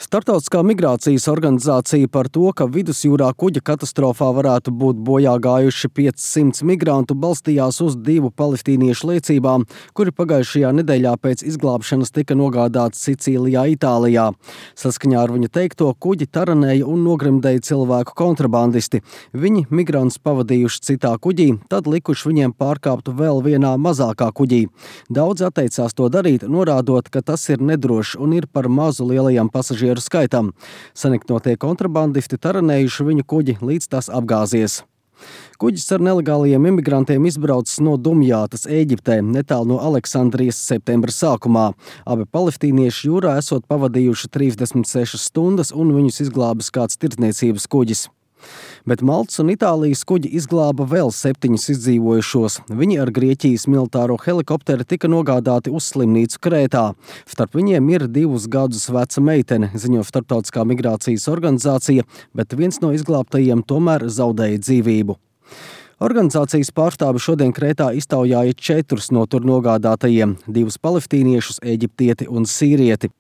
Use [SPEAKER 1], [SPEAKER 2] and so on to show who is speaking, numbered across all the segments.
[SPEAKER 1] Startautiskā migrācijas organizācija par to, ka vidusjūrā kuģa katastrofā varētu būt bojā gājuši 500 migrantu, balstījās uz 2 palestīniešu liecībām, kuri pagājušajā nedēļā pēc izglābšanas tika nogādāti Sicīlijā, Itālijā. Saskaņā ar viņa teikto, kuģi taranēja un nogrimdēja cilvēku kontrabandisti. Viņi migrantus pavadījuši citā kuģī, tad likuši viņiem pārkāpt vēl vienā mazākā kuģī. Daudz atteicās to darīt, norādot, ka tas ir nedrošs un ir par mazu lielajam pasažieru skaitam. Saniknotie kontrabandisti taranējuši viņu kuģi, līdz tas apgāzies. Kuģis ar nelegālajiem imigrantiem izbraucis no Dumjātas, Ēģiptē, netālu no Aleksandrijas septembra sākumā. Abi palestīnieši jūrā esot pavadījuši 36 stundas un viņus izglābis kāds tirdzniecības kuģis. Bet Maltas un Itālijas kuģi izglāba vēl 7 izdzīvojušos. Viņi ar Grieķijas militāro helikopteri tika nogādāti uz slimnīcu Krētā. Starp viņiem ir 2 gadus veca meitene, ziņo Startautiskā migrācijas organizācija, bet viens no izglābtajiem tomēr zaudēja dzīvību. Organizācijas pārstāvi šodien Krētā iztaujāja 4 no tur nogādātajiem – 2 palestīniešus, eģiptieti un sīrieti.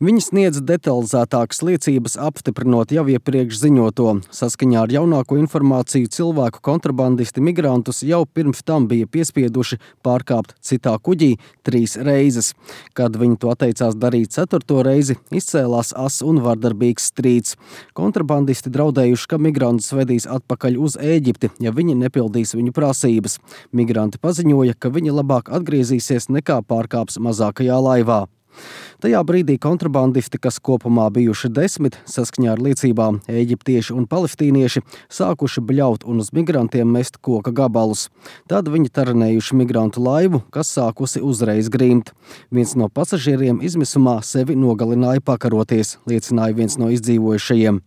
[SPEAKER 1] Viņi sniedz detalizētākas liecības, apstiprinot jau iepriekš ziņoto. Saskaņā ar jaunāko informāciju cilvēku kontrabandisti migrantus jau pirms tam bija piespieduši pārkāpt citā kuģī 3 reizes. Kad viņi to atteicās darīt 4. reizi, izcēlās asas un vardarbīgs strīds. Kontrabandisti draudējuši, ka migrantus vedīs atpakaļ uz Ēģipti, ja viņi nepildīs viņu prasības. Migranti paziņoja, ka viņi labāk atgriezīsies nekā pārkāps mazākajā laivā. Tajā brīdī kontrabandisti, kas kopumā bijuši 10, saskaņā ar liecībām eģiptieši un palestīnieši, sākuši bļaut un uz migrantiem mest koka gabalus. Tad viņi taranējuši migrantu laivu, kas sākusi uzreiz grimt. Viens no pasažieriem izmisumā sevi nogalināja pakaroties, liecināja viens no izdzīvojušajiem.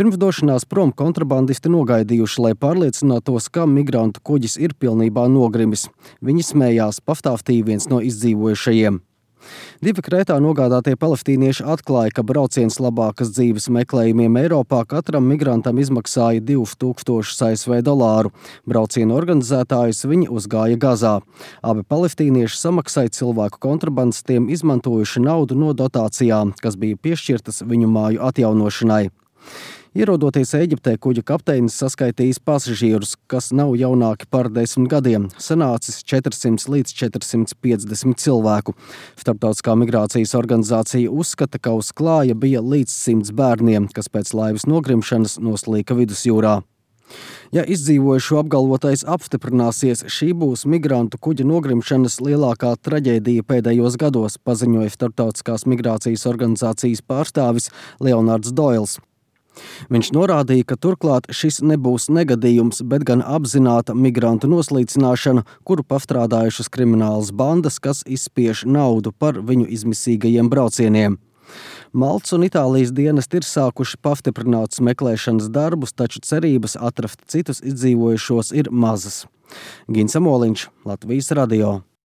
[SPEAKER 1] Pirms došanās prom kontrabandisti nogaidījuši, lai pārliecinātos, ka migrantu kuģis ir pilnībā nogrimis. Viņi smējās, pastāstīja viens no izdzīvojušajiem. 2 Krētā nogādātie palestīnieši atklāja, ka brauciens labākas dzīves meklējumiem Eiropā katram migrantam izmaksāja $2000 ASV. Brauciena organizētājus viņi uzgāja Gazā. Abi palestīnieši samaksāja cilvēku kontrabandistiem, izmantojuši naudu no dotācijām, kas bija piešķirtas viņu māju atjaunošanai. Ierodoties Ēģiptē, kuģa kapteinis saskaitījis pasažierus, kas nav jaunāki par 10 gadiem, sanācis 400 līdz 450 cilvēku. Starptautiskā migrācijas organizācija uzskata, ka uz klāja bija līdz 100 bērniem, kas pēc laivas nogrimšanas noslīka vidusjūrā. Ja izdzīvojušo apgalvotais apstiprināsies, šī būs migrantu kuģa nogrimšanas lielākā traģēdija pēdējos gados, paziņoja Starptautiskās migrācijas organizācijas pārstāvis Leonards Doils. Viņš norādīja, ka turklāt šis nebūs negadījums, bet gan apzināta migrantu noslīcināšana, kuru pastrādājušas kriminālas bandas, kas izspiež naudu par viņu izmisīgajiem braucieniem. Maltas un Itālijas dienesti ir sākuši pastiprinātus meklēšanas darbus, taču cerības atrast citus izdzīvojušos ir mazas. Gins Amoliņš, Latvijas radio.